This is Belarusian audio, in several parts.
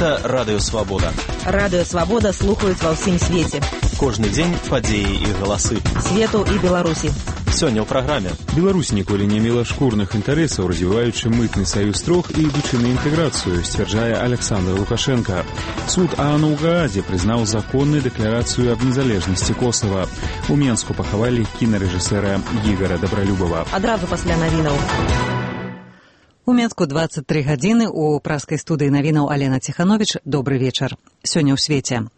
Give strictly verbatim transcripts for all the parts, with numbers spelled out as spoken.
Гэта Радыё Свабода. Радыё Свабода слухаюць ва ўсім свеце. Кожны дзень падзеі і галасы. Свету і Беларусі. Сёння ў праграме. Беларусь ніколі не мела шкурных інтарэсаў, развіваючы мытны саюз трох і ідучы на інтэграцыю, сцвярджае Александр Лукашенко. Суд ААН у Гаазе прызнаў законнай дэкларацыю аб незалежнасці Косава. У Менску пахавалі кінарэжысэра Ігара Дабралюбава. Адразу пасля навінаў. У Менску двадцать три гадзіны, у праскай студыі навінаў Алена Ціхановіч. Добры вечар. Сёння ў свеце.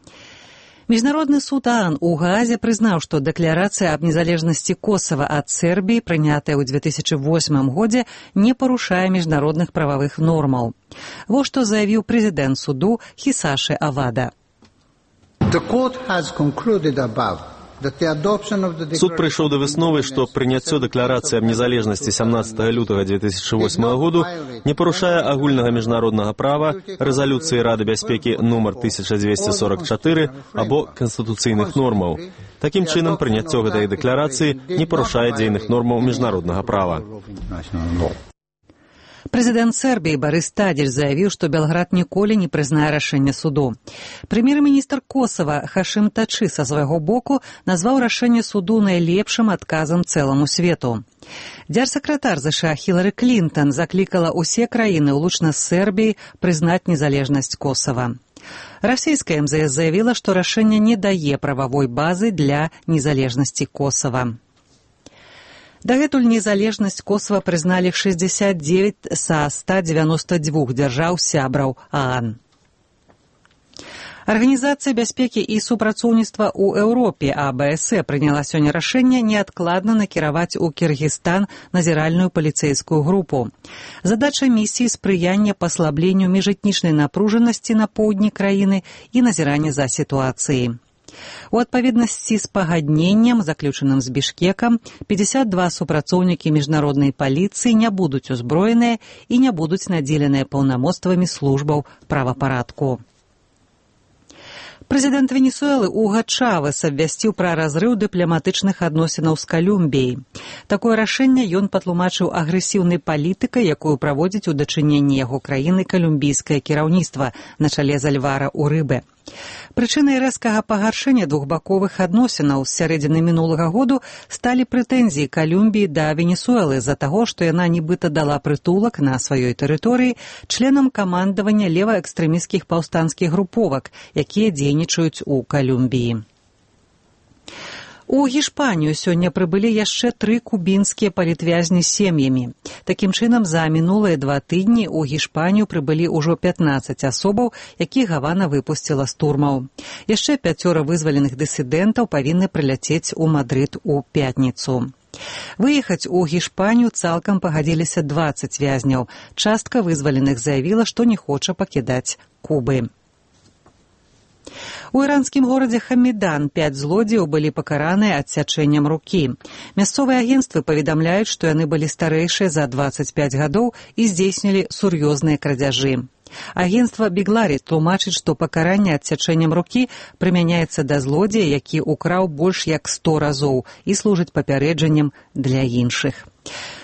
Міжнародны суд ААН у Гаазе прызнаў, што дэкларацыя аб незалежнасці Косава ад Сербіі, прынятая ў две тысячи восьмым годзе, не парушае міжнародных прававых нормаў. Во што заявіў прэзідэнт суду Хисаши Авада. Суд прыйшоў да высновы, што прыняццё дэкларацыі аб незалежнасці сямнаццатага лютага две тысячи восьмага году не парушае агульнага міжнароднага права, рэзалюцыі Рады бяспекі нумар тысяча дзвесце сорок чатыры або канстытуцыйных нормаў. Такім чынам, прыняццё гэтай дэкларацыі не парушае дзейных нормаў міжнароднага права. Прэзідэнт Сербіі Барыс Тадзіч заявіў, што Белград ніколі не прызнае рашэнне суду. Прэм'ер-міністр Косава Хашым Тачы са свайго боку назваў рашэнне суду найлепшым адказам цэламу свету. Дзярсакратар ЗША Хілары Клінтон заклікала ўсе краіны, улучна з Сербіі, прызнаць незалежнасць Косава. Расійская эм зэ эс заявіла, што рашэнне не дае прававой базы для незалежнасці Косава. Дагэтуль незалежнасць Косава прызналі шэсцьдзесят дзевяць са ста дзевяноста дзвюх дзяржаў сябраў ААН. Арганізацыя бяспекі і супрацоўніцтва ў Еўропе А Бэ Эс Э прыняла сёння рашэнне неадкладна накіраваць у Кіргізстан назіральную паліцэйскую групу. Задача місіі спрыяння паслабленню міжэтнічнай напружанасці на поўдні краіны і назірання за сітуацыяй. У адпаведнасці з пагадненнем, заключаным з Бішкекам, пятьдесят два супрацоўнікі міжнароднай паліцыі не будуць узброеныя і не будуць надзеленыя паўнамоцтвамі службаў правапарадку. Прэзідэнт Венесуэлы Уга Чавес абвясціў пра разрыў дыпламатычных адносінаў з Калумбіяй. Такое рашэнне ён патлумачыў агрэсіўнай палітыкай, якую праводзіць у дачыненні яго краіны калумбійскае кіраўніцтва на чале з Альвара Урыбе. Прычынай рэзкага пагаршэння двухбаковых адносінаў з сярэдзіны мінулага году сталі прэтэнзіі Калумбіі да Венесуэлы з-за таго, што яна нібыта дала прытулак на сваёй тэрыторыі членам камандавання леваэкстрэмісцкіх паўстанцкіх груповак, якія дзейнічаюць у Калумбіі. У Гішпанію сёння прыбылі яшчэ тры кубінскія палітвязні з сем'ямі. Такім чынам, за мінулыя два тыдні ў Гішпанію прыбылі ўжо пятнаццаць асобаў, якіх Гавана выпусціла з турмаў. Яшчэ пяцёра вызваленых дысідэнтаў павінны прыляцець у Мадрыд у пятніцу. Выехаць у Гішпанію цалкам пагадзіліся дваццаць вязняў. Частка вызваленых заявіла, што не хоча пакідаць Кубы. У іранскім горадзе Хамідан пяць злодзеяў былі пакараныя адсячэннем рукі. Мясцовыя агенцтвы паведамляюць, што яны былі старэйшыя за дваццаць пяць гадоў і здзейснілі сур'ёзныя крадзяжы. Агенцтва Бігларі тлумачыць, што пакаранне адсячэннем рукі прымяняецца да злодзея, які ўкраў больш як сто разоў і служыць папярэджаннем для іншых.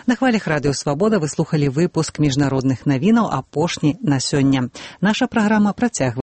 На хвалях Радыё Свабода вы слухалі выпуск міжнародных навінаў, апошні на сёння. Наша праграма працягваецца.